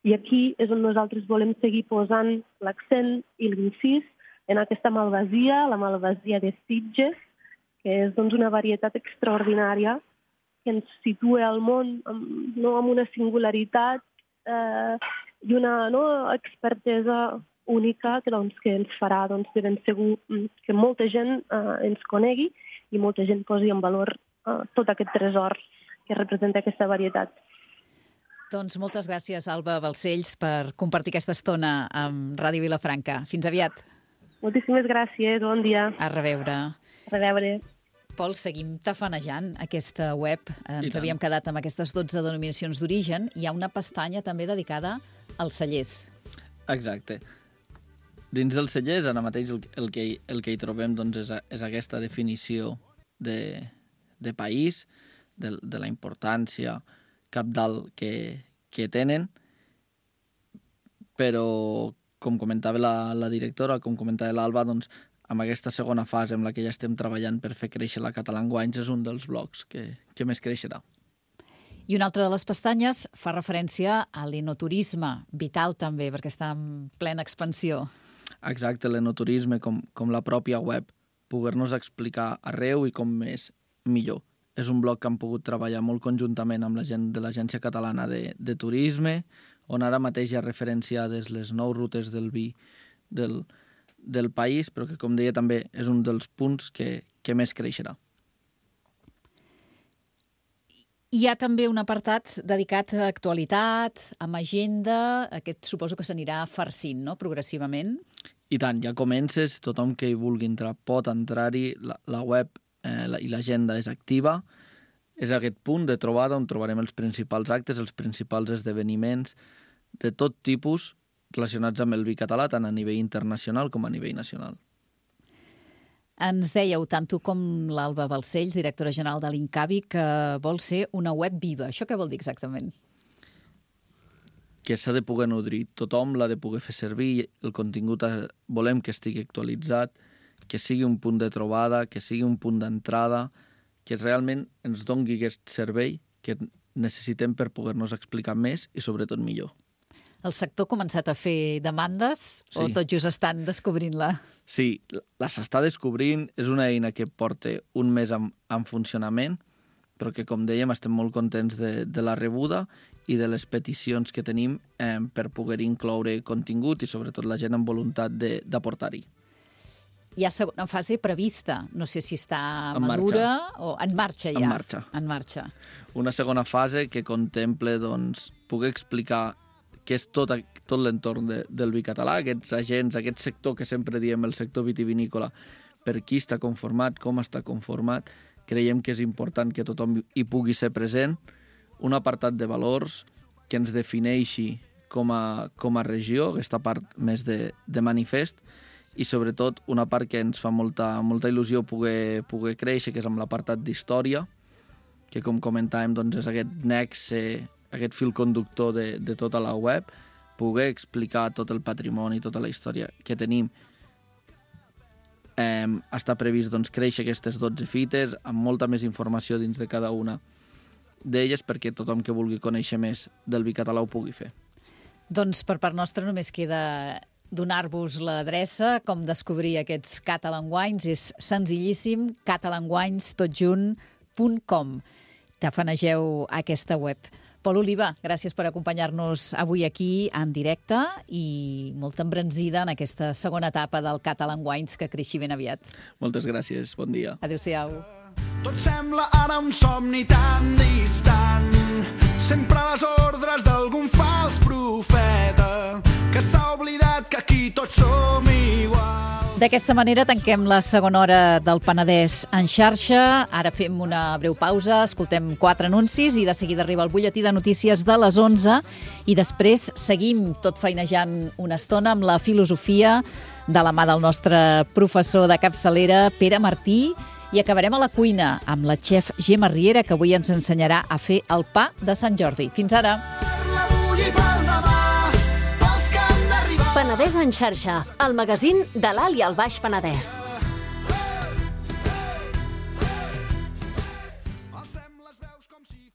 I aquí és on nosaltres volem seguir posant l'accent i l'incís en aquesta malvasia, la malvasia de Sitges, que és una varietat extraordinària que ens situa al món amb una singularitat i una expertesa única que ens farà de ben segur que molta gent ens conegui i molta gent posi en valor tot aquest tresor que representa aquesta varietat. Doncs moltes gràcies, Alba Balcells, per compartir aquesta estona amb Ràdio Vilafranca. Fins aviat. Moltíssimes gràcies, bon dia. A reveure. A reveure. Pol, seguim tafanejant aquesta web. Ens havíem quedat amb aquestes 12 denominacions d'origen. Hi ha una pestanya també dedicada als cellers. Exacte. Dins dels cellers, ara mateix el que hi trobem és aquesta definició de país, de la importància cabdal que tenen, però, com comentava la directora, com comentava l'Alba, amb aquesta segona fase amb la que ja estem treballant per fer créixer la Català Enguanys és un dels blocs que més creixerà. I una altra de les pestanyes fa referència a l'enoturisme, vital també, perquè està en plena expansió. Exacte, l'enoturisme, com la pròpia web, poder-nos explicar arreu i com més millor. És un bloc que han pogut treballar molt conjuntament amb la gent de l'Agència Catalana de Turisme, on ara mateix hi ha referenciades les 9 rutes del vi del país, però que, com deia, també és un dels punts que més creixerà. Hi ha també un apartat dedicat a actualitat, amb agenda, aquest suposo que s'anirà farcint, no?, progressivament. I tant, ja comences, tothom que hi vulgui entrar pot entrar-hi, la web i l'agenda és activa. És aquest punt de trobada on trobarem els principals actes, els principals esdeveniments de tot tipus relacionats amb el vi català, tant a nivell internacional com a nivell nacional. Ens dèieu, tant tu com l'Alba Balcells, directora general de l'Incavi, que vol ser una web viva. Això què vol dir exactament? Que s'ha de poder nodrir. Tothom l'ha de poder fer servir. El contingut volem que estigui actualitzat, que sigui un punt de trobada, que sigui un punt d'entrada, que realment ens doni aquest servei que necessitem per poder-nos explicar més i, sobretot, millor. El sector ha començat a fer demandes o tot just estan descobrint-la? Sí, la s'està descobrint. És una eina que porta un mes en funcionament, però que, com dèiem, estem molt contents de la rebuda i de les peticions que tenim per poder incloure contingut i, sobretot, la gent amb voluntat d'aportar-hi. Hi ha segona fase prevista. No sé si està madura o en marxa ja. En marxa. Una segona fase que contempla poder explicar què és tot l'entorn del vi català, aquests agents, aquest sector que sempre diem el sector vitivinícola, per qui està conformat, com està conformat, creiem que és important que tothom hi pugui ser present, un apartat de valors que ens defineixi com a regió, aquesta part més de manifest, i sobretot una part que ens fa molta il·lusió poder créixer, que és amb l'apartat d'història, que com comentàvem doncs, és aquest nexe, aquest fil conductor de tota la web, poder explicar tot el patrimoni, tota la història que tenim. Està previst doncs, créixer aquestes 12 fites, amb molta més informació dins de cada una d'elles, perquè tothom que vulgui conèixer més del vi català ho pugui fer. Doncs per part nostra només queda donar-vos l'adreça, com descobrir aquests Catalan Wines. És senzillíssim, catalanwines.com. Tafanegeu aquesta web. Pol Oliva, gràcies per acompanyar-nos avui aquí en directe i molta embranzida en aquesta segona etapa del Catalan Wines que creixi ben aviat. Moltes gràcies, bon dia. Adéu-siau. Tot sembla ara un somni tan distant, sempre a les ordres d'algun fals profeta que s'ha oblidat que aquí tots som iguals. D'aquesta manera tanquem la segona hora del Penedès en xarxa. Ara fem una breu pausa, escoltem 4 anuncis i de seguida arriba el butlletí de notícies de les 11 i després seguim tot feinejant una estona amb la filosofia de la mà del nostre professor de capçalera, Pere Martí, i acabarem a la cuina amb la xef Gemma Riera, que avui ens ensenyarà a fer el pa de Sant Jordi. Fins ara! Penedès en xarxa, el magazín de l'Alt i el Baix Penedès.